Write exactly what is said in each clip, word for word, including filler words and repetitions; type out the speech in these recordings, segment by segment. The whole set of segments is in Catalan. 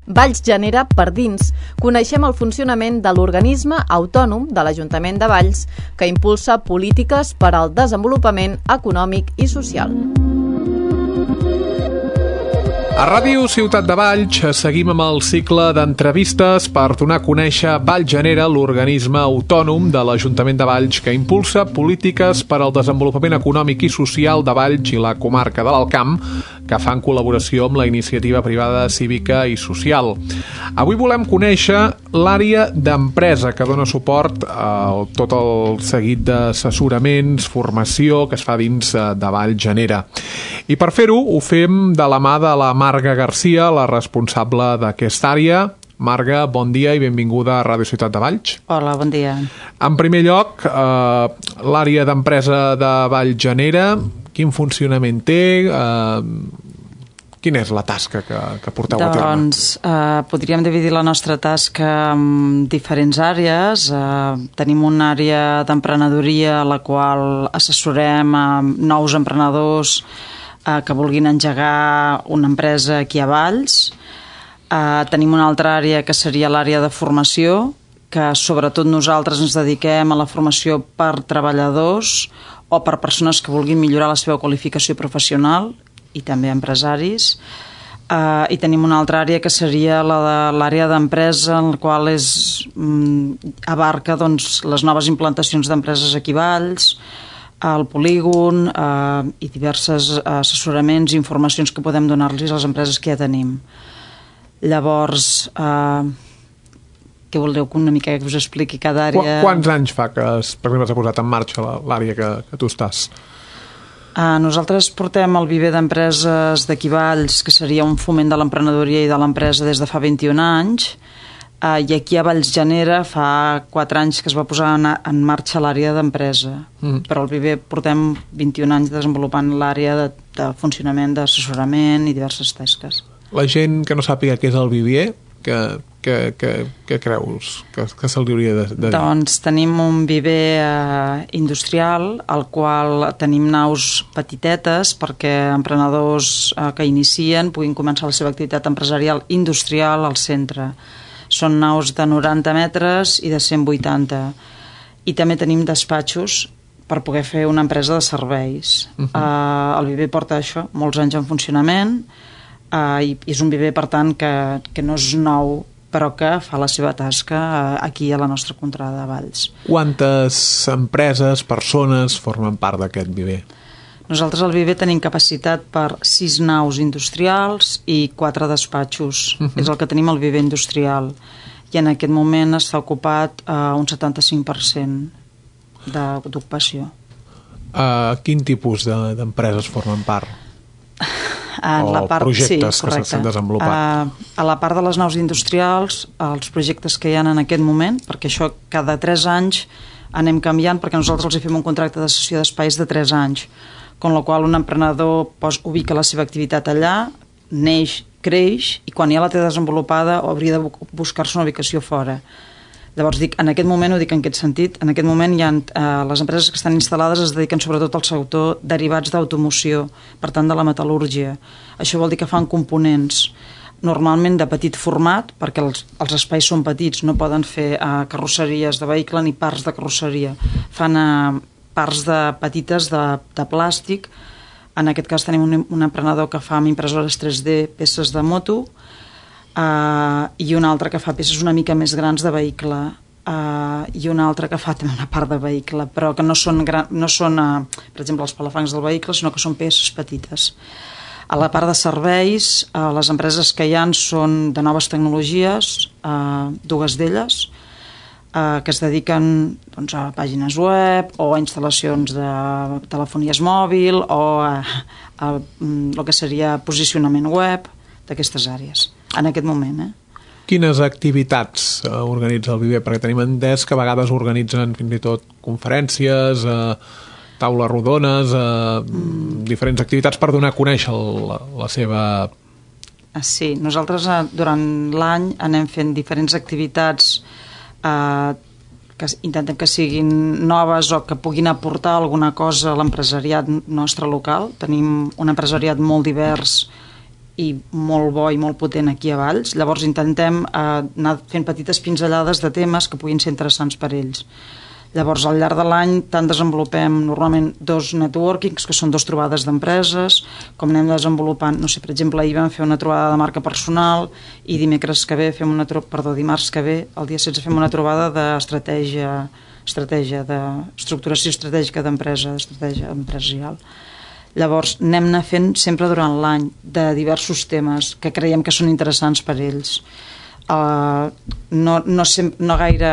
Valls genera per dins. Coneixem el funcionament de l'organisme autònom de l'Ajuntament de Valls que impulsa polítiques per al desenvolupament econòmic i social. A Ràdio Ciutat de Valls seguim amb el cicle d'entrevistes per donar a conèixer Valls Genera, l'organisme autònom de l'Ajuntament de Valls que impulsa polítiques per al desenvolupament econòmic i social de Valls i la comarca de l'Alt Camp, que fa en col·laboració amb la iniciativa privada cívica i social. Avui volem conèixer l'àrea d'empresa que dona suport a tot el seguit d'assessoraments, formació que es fa dins de Valls Genera. I per fer-ho ho fem de la mà de la Marga Garcia, la responsable d'aquesta àrea. Marga, bon dia i benvinguda a Ràdio Ciutat de Valls. Hola, bon dia. En primer lloc, eh, l'àrea d'empresa de Valls Genera, quin funcionament té? Eh, quina és la tasca que, que porteu doncs, a terme? Doncs eh, podríem dividir la nostra tasca en diferents àrees. Eh, tenim una àrea d'emprenedoria a la qual assessorem a nous emprenedors eh, que vulguin engegar una empresa aquí a Valls. Uh, tenim una altra àrea que seria l'àrea de formació, que sobretot nosaltres ens dediquem a la formació per treballadors o per persones que vulguin millorar la seva qualificació professional i també empresaris. Uh, I tenim una altra àrea que seria la de l'àrea d'empresa, en la qual és, um, abarca doncs, les noves implantacions d'empreses aquí a Valls, el polígon uh, i diversos assessoraments i informacions que podem donar-los a les empreses que ja tenim. Llavors, eh, què voleu una mica que us expliqui cada àrea? Quants anys fa que es, per exemple, s'ha posat en marxa l'àrea que, que tu estàs? Eh, nosaltres portem el viver d'empreses d'aquí Valls, que seria un foment de l'emprenedoria i de l'empresa des de fa vint-i-un anys, eh, i aquí a Valls Genera fa quatre anys que es va posar en, en marxa l'àrea d'empresa. Mm. Però el viver portem vint-i-un anys desenvolupant l'àrea de, de funcionament, d'assessorament i diverses tasques. La gent que no sàpiga què és el viver, que, que, que, que creus que, que se'ls hauria de, de dir? Doncs tenim un viver eh, industrial, al qual tenim naus petitetes perquè emprenedors eh, que inicien puguin començar la seva activitat empresarial industrial al centre. Són naus de noranta metres i de cent vuitanta. I també tenim despatxos per poder fer una empresa de serveis. Uh-huh. eh, el viver porta això, molts anys en funcionament, Uh, i és un viver, per tant, que, que no és nou, però que fa la seva tasca uh, aquí a la nostra contrada de Valls. Quantes empreses, persones formen part d'aquest viver? Nosaltres al viver tenim capacitat per sis naus industrials i quatre despatxos. Uh-huh. És el que tenim al viver industrial. I en aquest moment està ocupat uh, un setanta-cinc per cent d'ocupació. Uh, quin tipus de, d'empreses formen part? En o la part, projectes sí, que s'han desenvolupat? Uh, a la part de les naus industrials, els projectes que hi ha en aquest moment, perquè això cada tres anys anem canviant, perquè nosaltres els fem un contracte de cessió d'espais de tres anys, con la qual un emprenedor pos, ubica la seva activitat allà, neix, creix, i quan ja la té desenvolupada hauria de buscar-se una ubicació fora. Llavors, dic, en aquest moment, ho dic en aquest sentit, en aquest moment hi ha, eh, les empreses que estan instal·lades es dediquen sobretot al sector derivats d'automoció, per tant de la metal·lúrgia. Això vol dir que fan components normalment de petit format, perquè els, els espais són petits, no poden fer eh, carrosseries de vehicle ni parts de carrosseria. Fan eh, parts de, petites de, de plàstic. En aquest cas tenim un, un emprenedor que fa amb impressores tres D peces de moto, Uh, i un altre que fa peces una mica més grans de vehicle, uh, i un altre que fa també una part de vehicle, però que no són, gran, no són uh, per exemple, els palafancs del vehicle, sinó que són peces petites. A la part de serveis, uh, les empreses que hi ha són de noves tecnologies, uh, dues d'elles, uh, que es dediquen doncs, a pàgines web o a instal·lacions de telefonies mòbil o a, a, a el que seria posicionament web d'aquestes àrees. En aquest moment, eh? Quines activitats uh, organitza el viver? Perquè tenim entès que a vegades organitzen fins i tot conferències, uh, taules rodones, uh, mm. diferents activitats per donar a conèixer la, la seva... Sí, nosaltres uh, durant l'any anem fent diferents activitats uh, que intentem que siguin noves o que puguin aportar alguna cosa a l'empresariat nostre local. Tenim un empresariat molt divers i molt bo i molt potent aquí a Valls. Llavors intentem eh, anar fent petites pinzellades de temes que puguin ser interessants per ells. Llavors, al llarg de l'any, tant desenvolupem normalment dos networkings, que són dos trobades d'empreses, com anem desenvolupant, no sé, per exemple, ahir vam fer una trobada de marca personal i dimecres que ve fem una trobada, perdó, dimarts que ve, el dia setze fem una trobada d'estratègia, estratègia, d'estructuració estratègica d'empresa, d'estratègia empresarial. Llavors, anem anar fent sempre durant l'any de diversos temes que creiem que són interessants per ells. Uh, no, no, sem- no gaire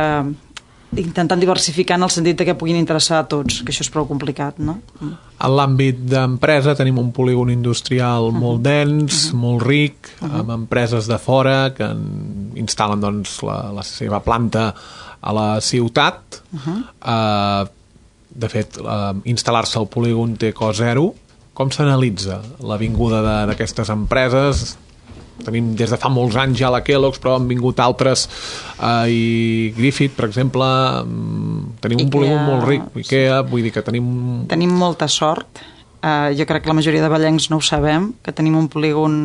intentant diversificar en el sentit que puguin interessar a tots, que això és prou complicat, no? En l'àmbit d'empresa tenim un polígon industrial uh-huh. molt dens, uh-huh. molt ric, uh-huh. amb empreses de fora que instal·len doncs, la, la seva planta a la ciutat. Uh-huh. Uh, de fet, uh, instal·lar-se al polígon té cost zero. Com s'analitza la vinguda d'aquestes empreses? Tenim des de fa molts anys ja la Kellogg's, però han vingut altres, eh, i Griffith, per exemple. Tenim un Ikea, polígon molt ric, Ikea, vull dir que tenim... Tenim molta sort. Uh, jo crec que la majoria de vallencs no ho sabem, que tenim un polígon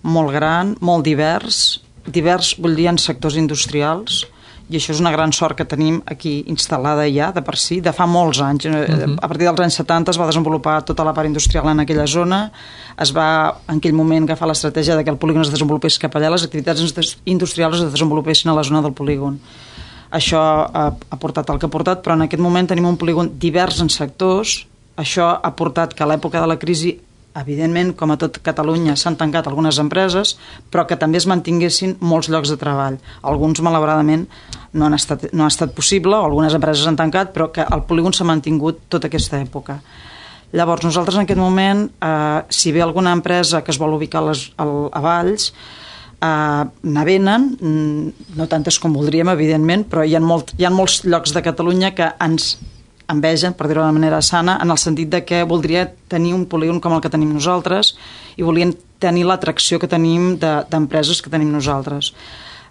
molt gran, molt divers, divers vull dir en sectors industrials, i això és una gran sort que tenim aquí instal·lada ja, de per si, de fa molts anys. Uh-huh. A partir dels anys setanta es va desenvolupar tota la part industrial en aquella zona, es va en aquell moment agafar l'estratègia que el polígon es desenvolupés cap allà, les activitats industrials es desenvolupessin a la zona del polígon. Això ha, ha portat el que ha portat, però en aquest moment tenim un polígon divers en sectors. Això ha portat que a l'època de la crisi, evidentment, com a tot Catalunya, s'han tancat algunes empreses, però que també es mantinguessin molts llocs de treball. Alguns, malauradament, no han estat, no ha estat possible, o algunes empreses han tancat, però que el polígon s'ha mantingut tota aquesta època. Llavors, nosaltres en aquest moment, eh, si ve alguna empresa que es vol ubicar a, les, a Valls, eh, n'avenen, no tantes com voldríem, evidentment, però hi ha, molt, hi ha molts llocs de Catalunya que ens envegen, per dir-ho de manera sana, en el sentit de que voldria tenir un polígon com el que tenim nosaltres i volien tenir l'atracció que tenim de, d'empreses que tenim nosaltres.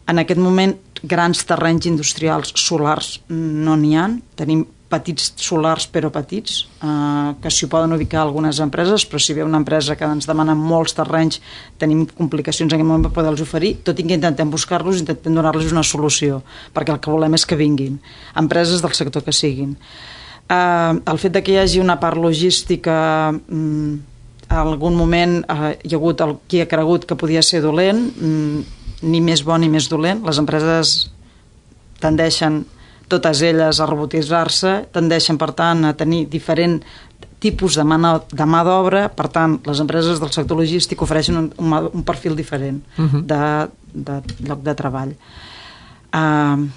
En aquest moment, grans terrenys industrials solars no n'hi ha. Tenim petits solars, però petits, eh, que s'hi poden ubicar algunes empreses, però si ve una empresa que ens demana molts terrenys, tenim complicacions en aquest moment per poder-los oferir, tot i que intentem buscar-los, intentem donar-los una solució, perquè el que volem és que vinguin empreses del sector que siguin. Uh, el fet de que hi hagi una part logística, um, en algun moment uh, hi ha hagut el, qui ha cregut que podia ser dolent, um, ni més bo ni més dolent. Les empreses tendeixen, totes elles, a robotitzar-se, tendeixen, per tant, a tenir diferent tipus de mà, de mà d'obra. Per tant, les empreses del sector logístic ofereixen un, un, un perfil diferent uh-huh. de, de lloc de treball. Uh,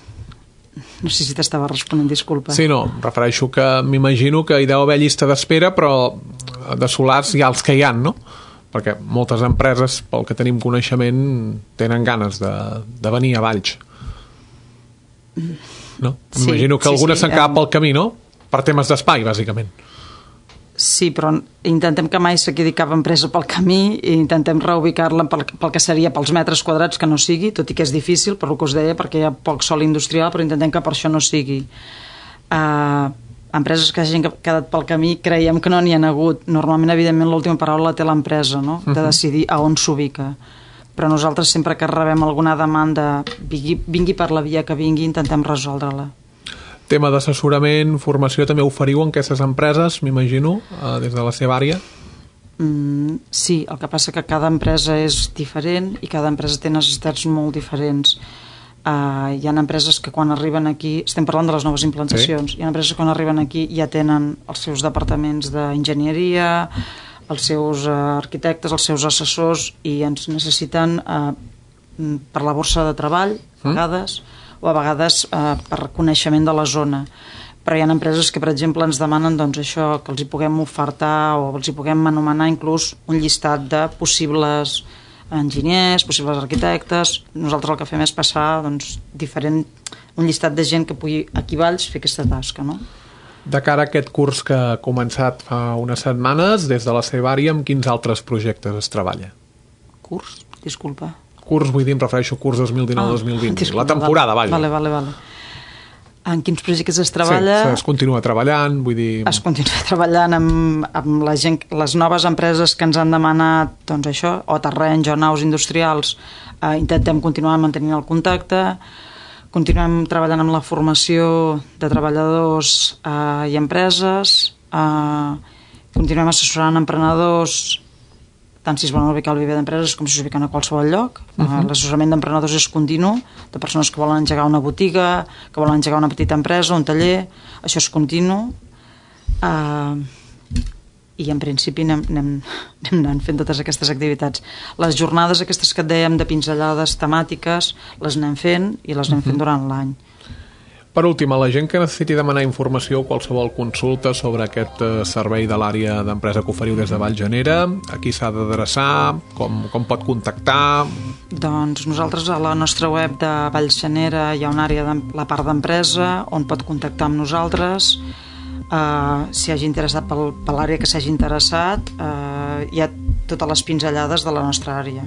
No sé si t'estava responent, disculpa. Sí, no, em refereixo que m'imagino que hi deu haver llista d'espera, però de solars hi ha els que hi ha, no? Perquè moltes empreses, pel que tenim coneixement, tenen ganes de, de venir a Valls. No? M'imagino que sí, algunes sí, s'han quedat um... pel camí, no? Per temes d'espai, bàsicament. Sí, però intentem que mai se quedi cap empresa pel camí i intentem reubicar-la pel, pel que seria pels metres quadrats que no sigui, tot i que és difícil, per el que us deia, perquè hi ha poc sòl industrial, però intentem que per això no sigui. Uh, empreses que hagin quedat pel camí creiem que no n'hi ha hagut. Normalment, evidentment, l'última paraula la té l'empresa, no? De decidir a on s'ubica. Però nosaltres, sempre que rebem alguna demanda, vingui, vingui per la via que vingui, intentem resoldre-la. Tema d'assessorament, formació, també oferiu en aquestes empreses, m'imagino, eh, des de la seva àrea? Mm, sí, el que passa que cada empresa és diferent i cada empresa té necessitats molt diferents. Uh, hi ha empreses que quan arriben aquí, estem parlant de les noves implantacions, sí. Hi ha empreses que quan arriben aquí ja tenen els seus departaments d'enginyeria, els seus uh, arquitectes, els seus assessors, i ens necessiten uh, per la borsa de treball, a vegades, mm. o a vegades eh, per coneixement de la zona. Però hi ha empreses que, per exemple, ens demanen doncs, això, que els hi puguem ofertar o els hi puguem anomenar inclús un llistat de possibles enginyers, possibles arquitectes. Nosaltres el que fem és passar doncs, diferent, un llistat de gent que pugui aquí a Valls fer aquesta tasca, no? De cara a aquest curs que ha començat fa unes setmanes, des de la seva àrea, amb quins altres projectes es treballa? Curs? Disculpa. Curs, vull dir, em refereixo a curs dos mil dinou dos mil vint. Ah, la temporada, vale, vaja. Vale, vale, vale. En quins projectes es treballa? Sí, es continua treballant, vull dir... Es continua treballant amb, amb la gent, les noves empreses que ens han demanat, doncs això, o terrenys o naus industrials, eh, intentem continuar mantenint el contacte, continuem treballant amb la formació de treballadors eh, i empreses, eh, continuem assessorant emprenedors, tant si es volen ubicar al viver d'empreses com si es ubiquen a qualsevol lloc. Uh-huh. L'assessorament d'emprenedors és continu, de persones que volen engegar una botiga, que volen engegar una petita empresa, un taller, això és continu. Uh, I en principi anem, anem, anem anant fent totes aquestes activitats. Les jornades aquestes que et dèiem de pinzellades temàtiques, les anem fent i les anem fent uh-huh. durant l'any. Per últim, a la gent que necessiti demanar informació o qualsevol consulta sobre aquest servei de l'àrea d'empresa que oferiu des de Vallgenera, a qui s'ha d'adreçar, com, com pot contactar? Doncs nosaltres a la nostra web de Vallgenera hi ha una àrea, de, la part d'empresa, on pot contactar amb nosaltres. Uh, si hagi interessat pel, per l'àrea que s'hagi interessat, uh, hi ha totes les pinzellades de la nostra àrea,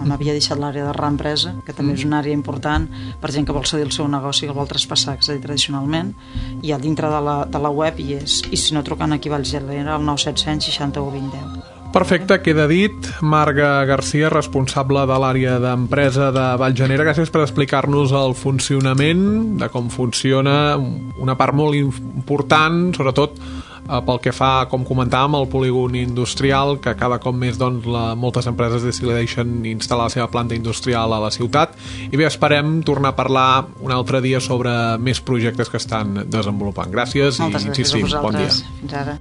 on havia deixat l'àrea de reempresa, que també és una àrea important per gent que vol cedir el seu negoci, que el vol traspassar, és a dir, tradicionalment, i a dintre de la, de la web hi és, i si no, trucant aquí a Vallgenera al nou set cents seixanta-u vint deu. Perfecte, queda dit. Marga Garcia, responsable de l'àrea d'empresa de Vallgenera, gràcies per explicar-nos el funcionament, de com funciona, una part molt important, sobretot pel que fa, com comentàvem, al polígon industrial, que cada cop més doncs, la, moltes empreses decideixen instal·lar la seva planta industrial a la ciutat. I bé, esperem tornar a parlar un altre dia sobre més projectes que estan desenvolupant. Gràcies Moltes i insistim, bon dia. Fins ara.